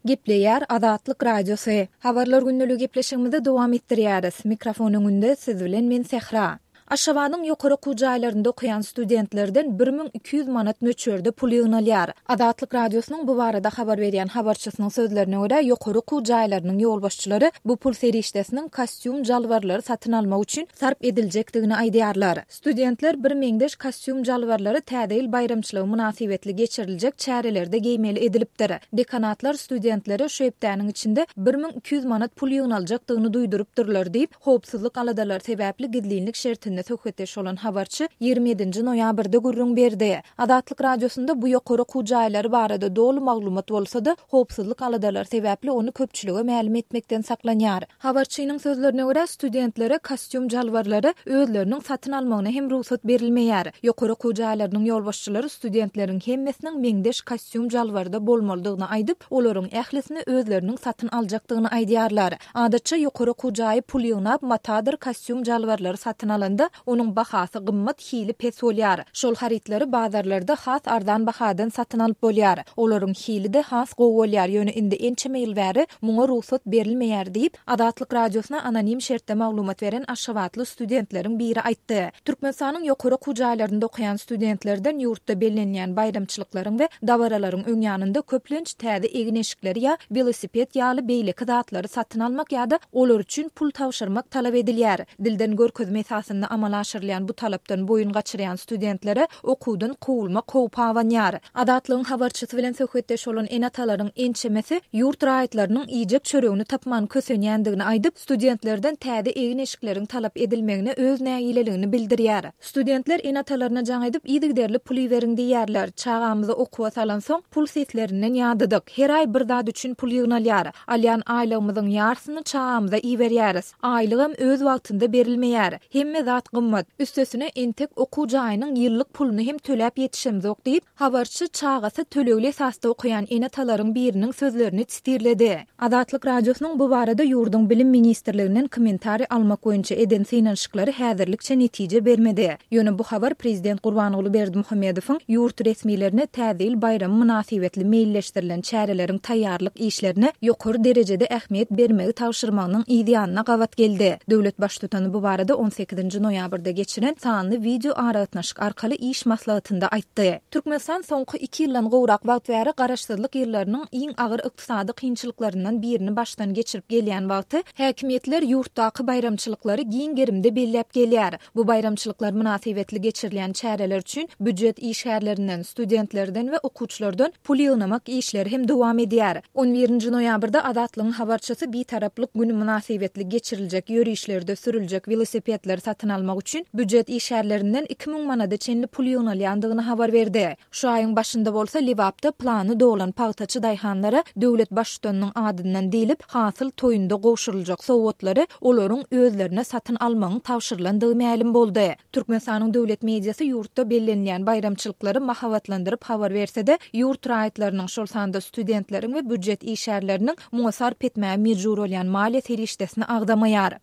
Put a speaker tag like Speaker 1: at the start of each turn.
Speaker 1: Gepleýär Azatlyk Radiosy. Habarlar gündeligi gepleşigimizi dowam etdirýäris. Mikrofon öňünde siz bilen men Sähra. Aşgabadyň ýokary okuw jaýlarynda okaýan studentlerden 1200 manat möçberde pul ýygnalýar. Azatlyk Radiosynyň bu barada habar berýän habarçysynyň sözlerine görä, ýokary okuw jaýlarynyň ýolbaşçylary bu pul serişdesiniň kostýum-jalbarlary satyn almak üçin sarp ediljekdigini aýdýarlar. Studentler birmeňzeş kostýum-jalbarlary Täze ýyl baýramçylygy mynasybetli geçiriljek çärelerde geýmeli edilipdir. Dekanatlar studentlere şu hepdäniň içinde 1200 manat pul ýygnaljakdygyny duýdurypdyrlar diýip, howpsuzlyk aladalary sebäpli gizlinlik şertinde söhbetdeş bolan habarçy 27-nji noýabrda gürrüň berdi. Azatlyk Radiosynda bu ýokary okuw jaýlary barada doly maglumat bolsa-da, howpsuzlyk aladalary sebäpli ony köpçülige mälim etmekden saklanýar. Habarçynyň sözlerine görä, studentlere kostýum-jalbarlary özleriniň satyn almagyna hem rugsat berilmeýär. Ýokary okuw jaýlarynyň ýolbaşçylary studentleriň hemmesiniň meňzeş kostýum-jalbarda bolmalydygyny aýdyp, olaryň ählisini özleriniň satyn aljakdygyny aýdýarlar. Adatça, ýokary okuw jaýy pul ýygnap, matadyr kostýum-jalbarlary satyn alanda, onuň bahasy gymmat, hili pes bolýar. Şol harytlary bazarlarda has arzan bahadan satyn alyp bolýar. Olaryň hili-de has gowy bolýar, ýöne indi ençeme ýyl bäri muňa rugsat berilmeýär diýip, Azatlyk Radiosyna anonim şertde maglumat beren aşgabatly studentleriň biri aýtdy. Türkmenistanyň ýokary okuw jaýlarynda okaýan studentlerden ýurtda bellenilýän baýramçylyklaryň we dabaralaryň öň ýanynda köplenç täze egin-eşikleri ýa welosiped ýaly beýleki zatlary satyn almak ýa-da olar üçin pul tabşyrmak talap edilýär. Dilden görkezme esasynda amala aşyrylýan bu talapdan boýun gaçyrýan studentlere okuwdan kowulmak howpy abanýar. Azatlygyň habarçysy bilen söhbetdeş bolan ene-atalaryň ençemesi ýurt raýatlarynyň iýjek çöregini tapman kösenýändigini aýdyp, studentlerden täze egin-eşikleriň talap edilmegine öz nägileligini bildirýär. Studentler ene-atalaryna jaň edip, yzygiderli pul iberiň diýýärler. Çagamyzy okuwa salansoň, pul seslerinden ýadadyk. Her aý bir zat üçin pul ýygnalýar. Alýan aýlygymyzyň ýarsyny çagamyza iberýäris. Aýlygam öz wagtynda berilmeýär. Hemme zat gymmat. Üstesine, entek okuw jaýynyň ýyllyk puluny hem töläp ýetişemzok diýip, habarçy çagasy tölegli esasda okaýan ene-atalaryň biriniň sözlerini sitirledi. Azatlyk Radiosynyň bu barada ýurduň Bilim ministrliginden kommentariý almak boýunça eden synanyşyklary häzirlikçe netije bermedi. Ýöne bu habar prezident Gurbanguly Berdimuhamedowyň ýurt resmilerine Täze ýyl baýramy mynasybetli meýilleşdirilen çäreleriň taýýarlyk işlerine ýokary derejede ähmiýet bermegi tabşyrmagynyň yz ýanyna gabat geldi. Döwlet Baştutany bu barada on sekizinji noýabrda geçiren sanly wideoaragatnaşyk arkaly iş maslahatynda aýtdy. Türkmenistan soňky iki ýyldan gowrak wagt bäri garaşsyzlyk ýyllarynyň iň agyr ykdysady kynçylyklaryndan birini başdan geçirip gelýän wagty, häkimiýetler ýurtdaky baýramçylyklary giň gerimde belläp gelýär. Bu baýramçylyklar mynasybetli geçirilýän çäreler üçin býujet işgärlerinden, studentlerden we okuwçylardan pul ýygnamak işleri hem dowam edýär. On birinji noýabrda Azatlygyň habarçysy Bitaraplyk güni mynasybetli geçiriljek ýörişlerde sürüljek welosipedleri satyn almak üçin býujet işgärlerinden 2000 manada çenli pul ýygnalýandygyny habar berdi. Şu aýyň başynda bolsa Lebapda plany dolan pagtaçy daýhanlara döwlet Baştutanynyň adyndan diýlip, hasyl toýunda gowşuryljak sowgatlary olaryň özlerine satyn almagyň tabşyrylandygy mälim boldy. Türkmenistanyň döwlet mediasy ýurtda bellenilýän baýramçylyklary mahabatlandyryp habar berse-de, ýurt raýatlarynyň, şol sanda studentleriň we býujet işgärleriniň muňa sarp etmäge mejbur bolýan maliýe serişdesini agzamaýar.